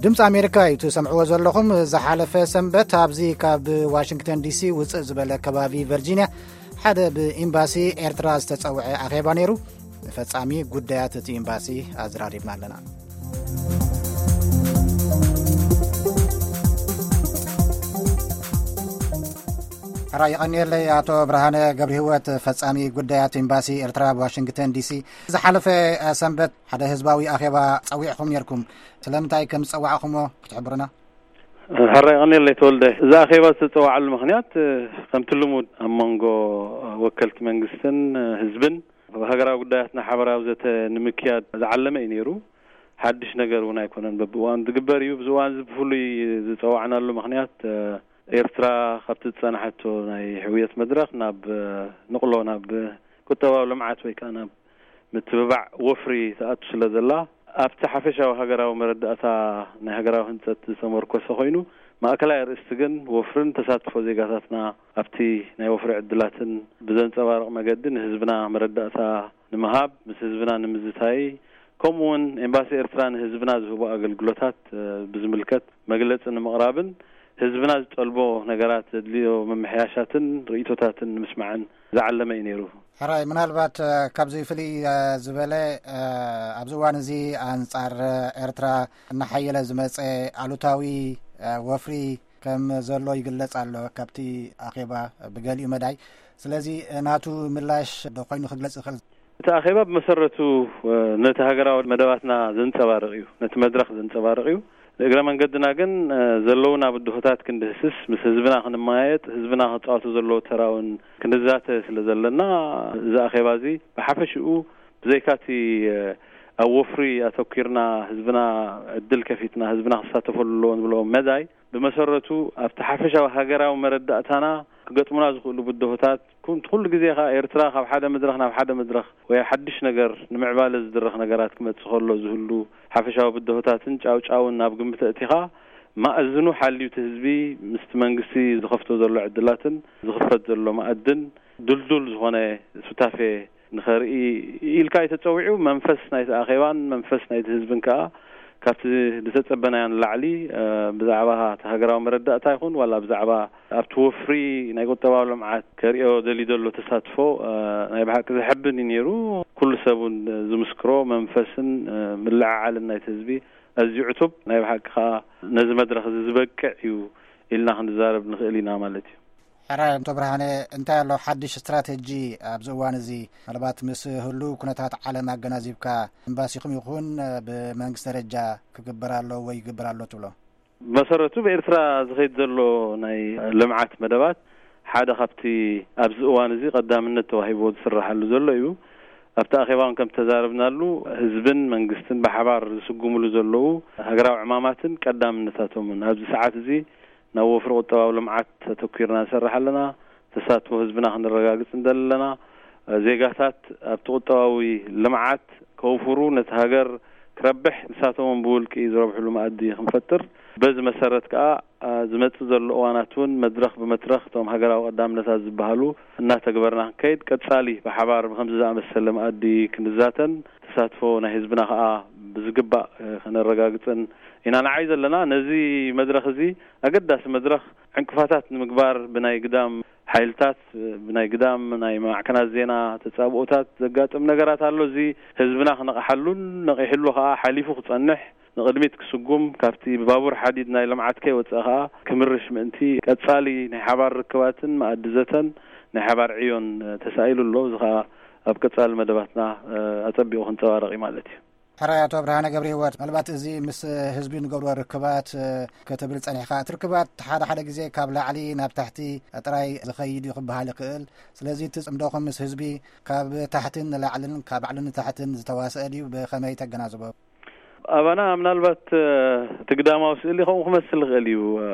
ድምፂ ኣሜሪካ እዩ ትሰምዕዎ ዘለኹም። ዝሓለፈ ሰንበት ኣብዚ ካብ ዋሽንግተን ዲሲ ውፅእ ዝበለ ከባቢ ቨርጂንያ ሓደ ብኤምባሲ ኤርትራ ዝተፀውዐ ኣኼባ ነይሩ። ንፈጻሚ ጉዳያት እቲ ኤምባሲ ኣዘራሪብና ኣለና። ሕራይ የቐንየለይ ኣቶ ብርሃነ ገብረ ህይወት፣ ፈጻሚ ጉዳያት ኤምባሲ ኤርትራ ኣብ ዋሽንግተን ዲሲ። ዝሓለፈ ሰንበት ሓደ ህዝባዊ ኣኼባ ጸዊዕኹም ነይርኩም። ስለምንታይ ከም ዝጸዋዕኹሞ ክትሕብሩና? ሕራይ የቐንየለይ ተወልደ። እዚ ኣኼባ ዝተጸዋዓሉ ምኽንያት፣ ከምቲ ልሙድ ኣብ መንጎ ወከልቲ መንግስትን ህዝብን ኣብ ሃገራዊ ጉዳያትና ሓበራዊ ዘተ ንምክያድ ዝዓለመ እዩ ነይሩ። ሓድሽ ነገር እውን ኣይኮነን፣ በብእዋኑ ዝግበር እዩ። ብዚ እዋን እዚ ብፍሉይ ዝጸዋዕናሉ ምኽንያት፣ ኤርትራ ካብቲ ዝጸናሓቶ ናይ ሕውየት መድረኽ ናብ ንቕሎ፣ ናብ ቁጠባዊ ልምዓት ወይ ከኣ ናብ ምትብባዕ ወፍሪ ትኣቱ ስለ ዘላ፣ ኣብቲ ሓፈሻዊ ሃገራዊ መረዳእታ ናይ ሃገራዊ ህንጸት ዝተመርኮሰ ኮይኑ፣ ማእከላይ ኣርእስቲ ግን ወፍርን ተሳትፎ ዜጋታትና ኣብቲ ናይ ወፍሪ ዕድላትን ብዘንጸባርቕ መገዲ ንህዝብና መረዳእታ ንምሃብ፣ ምስ ህዝብና ንምዝታይ፣ ከምኡ እውን ኤምባሲ ኤርትራ ንህዝብና ዝህቦ ኣገልግሎታት፣ እ፣ ብዝምልከት መግለጺ ንምቕራብን ህዝብና ዝጠልቦ ነገራት ዘድልዮ ምምሕያሻትን ርእይቶታትን ንምስማዕን ዝዓለመ እዩ ነይሩ። ሕራይ፣ ምናልባት፣ እ፣ ካብዚ ፍልይ፣ እ፣ ዝበለ፣ እ፣ ኣብዚ እዋን እዚ ኣንጻር ኤርትራ እናሓየለ ዝመጸ ኣሉታዊ፣ እ፣ ወፍሪ ከም ዘሎ ይግለጽ ኣሎ ካብቲ ኣኼባ ብገሊኡ መዳይ። ስለዚ፣ እ፣ ናቱ ምላሽ ዶ ኮይኑ ክግለጽ ይኽእል? እቲ ኣኼባ ብመሰረቱ፣ እ፣ ነቲ ሃገራዊ መደባትና ዘንጸባርቕ እዩ፣ ነቲ መድረኽ ዘንጸባርቕ እዩ። ንእግረ መንገድና ግን፣ እ፣ ዘለውና ብድሆታት ክንድህስስ፣ ምስ ህዝብና ክንመያየጥ፣ ህዝብና ክጻወቶ ዘለዎ ተራ እውን ክንዛተ ስለ ዘለና፣ እዚ ኣኼባ እዚ ብሓፈሽኡ ብዘይካቲ፣ እ፣ ኣብ ወፍሪ ኣተኲርና ህዝብና ዕድል ከፊትና ህዝብና ክሳተፈሉ ኣለዎ ንብሎ መዳይ፣ ብመሰረቱ ኣብቲ ሓፈሻዊ ሃገራዊ መረዳእታና ክገጥሙና ዝኽእሉ ብድሆታት፣ ኩን-፣ ኩሉ ግዜ ከኣ ኤርትራ ካብ ሓደ መድረኽ ናብ ሓደ መድረኽ ወይ ሓድሽ ነገር ንምዕባለ ዝድረኽ ነገራት ክመጽእ ከሎ ዝህሉ ሓፈሻዊ ብድሆታትን ጫውጫውን ናብ ግምት ኣእቲኻ፣ ማእዝኑ ሓልዩ እቲ ህዝቢ ምስቲ መንግስቲ ዝኸፍቶ ዘሎ ዕድላትን ዝኽፈት ዘሎ መኣድን ድልዱል ዝኾነ ሱታፌ ንኸርኢ ኢልካ እዩ ተጸዊዑ። መንፈስ ናይቲ ኣኼባን መንፈስ ናይቲ ህዝብን ከኣ ካብቲ ዝተጸበናዮ ንላዕሊ፣ እ፣ ብዛዕባ እቲ ሃገራዊ መረዳእታ ይኹን ዋላ ብዛዕባ ኣብቲ ወፍሪ ናይ ቁጠባዊ ልምዓት ከርእዮ ደልዩ ዘሎ ተሳትፎ፣ እ፣ ናይ ብሓቂ ዘሐብን እዩ ነይሩ። ኩሉ ሰብ እውን ዝምስክሮ መንፈስን፣ እ፣ ምልዕዓልን ናይቲ ህዝቢ ኣዝዩ ዕቱብ፣ ናይ ብሓቂ ከኣ ነዚ መድረኽ እዚ ዝበቅዕ እዩ ኢልና ክንዛረብ ንኽእል ኢና ማለት እዩ። ሕራይ ኣቶ ብርሃነ፣ እንታይ ኣሎ ሓድሽ ስትራተጂ ኣብዚ እዋን እዚ? ምናልባት ምስ ህሉው ኩነታት ዓለም ኣገናዚብካ፣ ኤምባሲኹም ይኹን ብመንግስቲ ደረጃ ክግበር ኣለዎ ወይ ይግበር ኣሎ ትብሎ? ብመሰረቱ ብኤርትራ ዝኸይድ ዘሎ ናይ ልምዓት መደባት ሓደ ካብቲ ኣብዚ እዋን እዚ ቀዳምነት ተዋሂብዎ ዝስራሓሉ ዘሎ እዩ። ኣብቲ ኣኼባ እውን ከም ተዛረብናሉ፣ ህዝብን መንግስትን ብሓባር ዝስጉምሉ ዘለዉ ሃገራዊ ዕማማትን ቀዳምነታቶምን ኣብዚ ሰዓት እዚ ናብ ወፍሪ ቁጠባዊ ልምዓት ኣተኲርና ንሰርሕ ኣለና። ተሳትፎ ህዝብና ክነረጋግጽ ንደሊ ኣለና። ዜጋታት ኣብቲ ቁጠባዊ ልምዓት ከውፍሩ፣ ነቲ ሃገር ክረብሕ፣ ንሳቶም እውን ብውልቂ ዝረብሕሉ መኣዲ ክንፈጥር፣ በዚ መሰረት ከኣ፣ አ፣ ዝመጽእ ዘሎ እዋናት እውን መድረኽ ብመድረኽ እቶም ሃገራዊ ቀዳምነታት ዝበሃሉ እናተግበርና ክንከይድ፣ ቀጻሊ ብሓባር ብከምዚ ዝኣመሰለ መኣዲ ክንዛተን ተሳትፎ ናይ ህዝብና ከኣ ብዝግባእ፣ እ፣ ከነረጋግጽን ኢና ንዓይ ዘለና። ነዚ መድረኽ እዚ ኣገዳሲ መድረኽ ዕንቅፋታት ንምግባር ብናይ ግዳም ሓይልታት፣ ብናይ ግዳም ናይ ማዕከናት ዜና ተጻብኦታት ዘጋጥም ነገራት ኣሎ። እዚ ህዝብና ክነቕሓሉን ነቒሕሉ ከኣ ሓሊፉ ክጸንሕ፣ ንቕድሚት ክስጉም፣ ካብቲ ብባቡር ሓዲድ ናይ ልምዓት ከይወጸ ከኣ ክምርሽ ምእንቲ ቀጻሊ ናይ ሓባር ርክባትን መኣዲ ዘተን ናይ ሓባር ዕዮን ተሳኢሉ ኣሎ። እዚ ከኣ ኣብ ቀጻሊ መደባትና፣ እ፣ ኣጸቢቑ ክንጸባረቕ እዩ ማለት እዩ። ሕራይ ኣቶ ብርሃነ ገብረ ህይወት፣ ምናልባት እዚ ምስ ህዝቢ ንገብሮ ርክባት፣ እ፣ ክትብል ጸኒሕካ፣ እቲ ርክባት ሓደ ሓደ ግዜ ካብ ላዕሊ ናብ ታሕቲ ጥራይ ዝኸይድ እዩ ክበሃል ይኽእል። ስለዚ እቲ ጽምዶኹም ምስ ህዝቢ ካብ ታሕትን ንላዕልን ካብ ላዕልን ንታሕትን ዝተዋስአ ድዩ? ብኸመይ ተገናዝቦ? ኣባና ምናልባት፣ እ፣ እቲ ግዳማዊ ስእሊ ከምኡ ክመስል ይኽእል እዩ። እ፣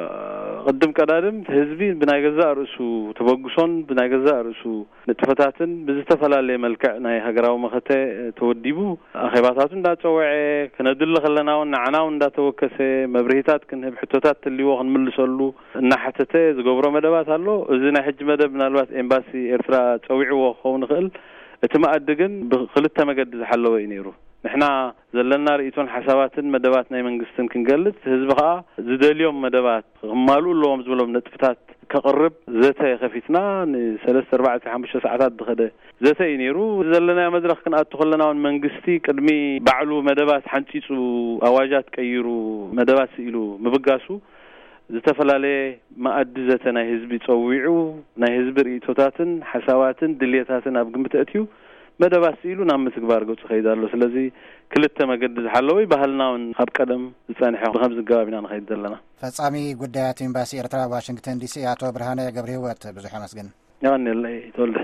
ቅድም ቀዳድም እቲ ህዝቢ ብናይ ገዛእ ርእሱ ተበግሶን ብናይ ገዛእ ርእሱ ንጥፈታትን ብዝተፈላለየ መልክዕ ናይ ሃገራዊ መኸተ ተወዲቡ፣ ኣኼባታቱ እንዳጸወዐ፣ ክነድሊ ከለና እውን ንዓና እውን እንዳተወከሰ፣ መብርሂታት ክንህብ፣ ሕቶታት ትልዎ ክንምልሰሉ እናሓተተ ዝገብሮ መደባት ኣሎ። እዚ ናይ ሕጂ መደብ ምናልባት ኤምባሲ ኤርትራ ጸዊዕዎ ክኸውን ይኽእል። እቲ መኣዲ ግን ብክልተ መገዲ ዝሓለወ እዩ ነይሩ። ንሕና ዘለና ርእይቶን ሓሳባትን መደባት ናይ መንግስትን ክንገልጽ፣ ህዝቢ ከኣ ዝደልዮም መደባት ክማልኡ ኣለዎም ዝብሎም ነጥብታት ከቕርብ ዘተ ከፊትና፣ ንሰለስተ፣ ኣርባዕተ፣ ሓሙሽተ ሰዓታት ዝኸደ ዘተ እዩ ነይሩ። ዘለናዮ መድረኽ ክንኣቱ ከለና እውን መንግስቲ ቅድሚ ባዕሉ መደባት ሓንጺጹ፣ ኣዋጃት ቀይሩ፣ መደባት ስኢሉ ምብጋሱ፣ ዝተፈላለየ መኣዲ ዘተ ናይ ህዝቢ ጸዊዑ፣ ናይ ህዝቢ ርእይቶታትን ሓሳባትን ድልየታትን ኣብ ግምት ኣእትዩ፣ መደባት ስኢሉ ናብ ምትግባር ገጹ ከይድ ኣሎ። ስለዚ ክልተ መገዲ ዝሓለወ እዩ። ባህልና እውን ካብ ቀደም ዝጸንሐ፣ ብኸምዚ ኣገባብ ኢና ንኸይድ ዘለና። ፈጻሚ ጉዳያት ኤምባሲ ኤርትራ ኣብ ዋሽንግተን ዲሲ ኣቶ ብርሃነ ገብረ ህይወት፣ ብዙሕ ኣመስግን። የቐንየለይ ተወልደ።